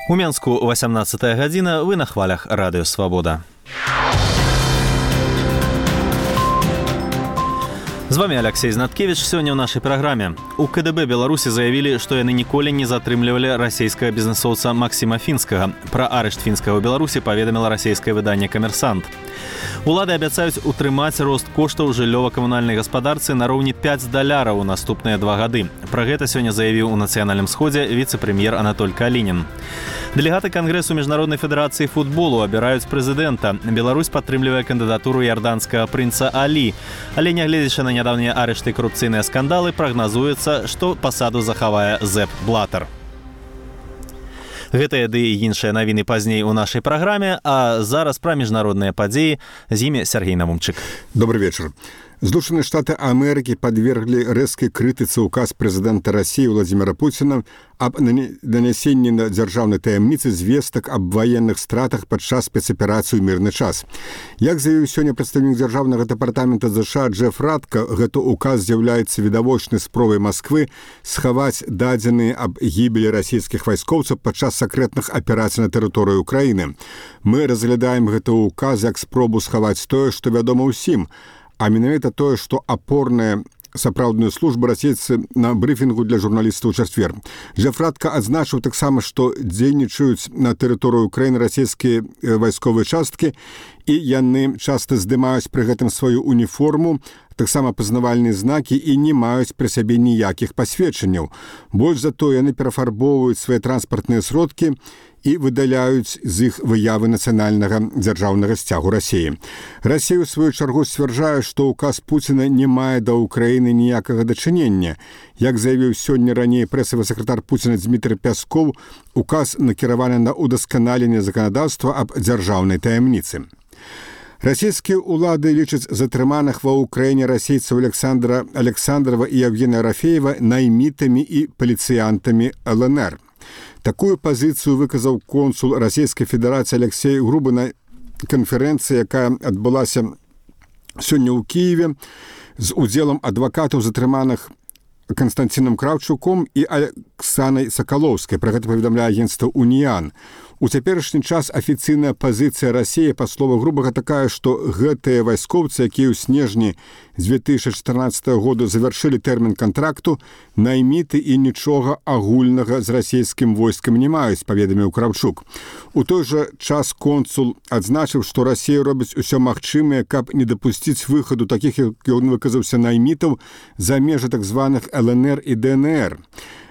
У Менску 18 гадзіна, вы на хвалях радыё Свабода. З вами Алексей Знаткевич. Сёння ў нашай праграме. У КДБ Беларусі заявілі, што яны ніколі не затрымлівалі расійскага бізнесоўца Максіма Фінскага. Пра арышт Фінскага ў Беларусі паведаміла расійскае выданне «Камерсант». Улады абяцаюць утрымаць рост коштаў жыллёва-камунальнай гаспадарцы на роўні $5 у наступныя 2 гады. Пра гэта сёння заявіў у Нацыянальным сходзе віцэ-прэм'ер Анатоль Калінін. Дэлегаты Кангрэсу Міжнароднай федэрацыі футболу абіраюць прэзідэнта. Беларусь падтрымлівае кандыдатуру ярданскага прынца Алі. Але нягледзячы на нядаўнія арышты і карупцыйныя скандалы, прагназуецца, што пасаду захавае Зэп Блатар. Гэтыя ды і іншыя навіны пазней у нашай праграме, а зараз пра міжнародныя падзеі. З імі Сергей Намумчык. Добрый вечер. Злучаныя Штаты Амерыкі падверглі рэзкай крытыцы ўказ прэзідэнта Расіі Владзіміра Пуціна аб данясенні на дзяржаўнай таямніцы звестак аб ваенных стратах падчас спецаперацыі ў мірны час. Як заявіў сёння прадстаўнік дзяржаўнага дэпартамента ЗША Джеф Радка, гэты ўказ з'яўляецца відавочнай спробай Масквы схаваць дадзеныя аб гібелі расійскіх вайскоўцаў падчас сакрэтных аперацый на тэрыторыі Украіны. Мы разглядаем гэты ўказ як спробу схаваць тое, што вядома ўсім, а менавіта тое, што апорная сапраўдную службу расейцы на брыфінгу для журналістаў у чацвер. Джеф Радка адзначыў таксама, што дзейнічаюць на тэрыторыю Украіны расійскія вайсковыя часткі, і яны часта здымаюць пры гэтым сваю уніформу, таксама пазнавальныя знакі і не маюць пры сабе ніякіх пасведчанняў. Больш за то, яны перафарбоўваюць свае транспартныя сродкі і выдаляюць з іх выявы нацыянальнага дзяржаўнага сцягу Расіі. Расія, у сваю чаргу, сцвярджае, што ўказ Пуціна не мае да Украіны ніякага дачынення. Як заявіў сёння раней прэсавы сакратар Пуціна Дмітрый Пяскоў, указ накіраваны на ўдасканаленне заканадаўства аб дзяржаўнай таямніцы. Расійскія ўлады лічаць затрыманых ва ўкраіне расейцаў Александра Александрова і Евгения Рафеева наймітамі і паліцыянтамі ЛНР. Такую пазіцыю выказаў консул Расійскай Федэрацыі Алексей Грубы на канферэнцыі, якая адбылася сёння ў Кіеве з удзелам адвакатаў затрыманых Константином Кравчуком і Алексанай Сакалоўскай. Пра гэта паведамляе агенцтва «Уніян». У цяперашні час афіцыйная пазіцыя Расіі, па словах Грубага, такая, што гэтыя вайскоўцы, якія ў снежні з 2014 году завяршылі тэрмін кантракту, найміты і нічога агульнага з расійскім войскам не маюць, паведаміў Кравчук. У той жа час консул адзначыў, што Расія робіць усё магчымае, каб не дапусціць выхаду такіх, як ён выказаўся, наймітаў за межы так званых ЛНР і ДНР.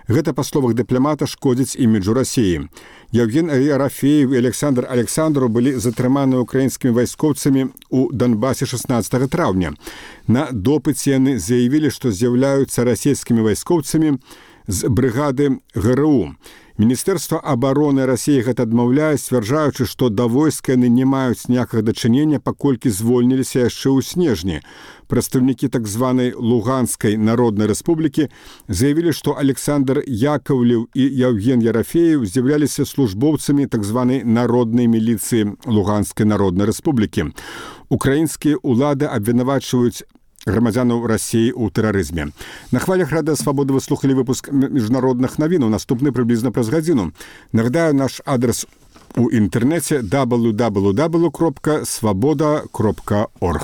Гэта, па словах дыпламата, шкодзіць іміджу Расіі. Евген Рафеев і Александр Александров былі затрыманы украінскімі вайскоўцамі ў Донбасе 16 траўня. На допыце яны заявілі, што з'яўляюцца расійскімі вайскоўцамі з брыгады ГРУ. Міністэрства абароны Расіі гэта адмаўляе, сцвярджаючы, што да войска яны не маюць ніякага дачынення, паколькі звольніліся яшчэ ў снежні. Прадстаўнікі так званай Луганскай народнай рэспублікі заявілі, што Александр Яковлев і Евген Ерафеев з'яўляліся службоўцамі так званай народнай міліцыі Луганскай народнай рэспублікі. Украінскія ўлады абвінавачваюць грамадзянаў Расіі ў тэрарызме. На хвалях радыё Свабода вы слухалі выпуск міжнародных навінаў, наступны прыблізна праз гадзіну. Нагадаю, наш адрес у інтэрнэце www.swaboda.org.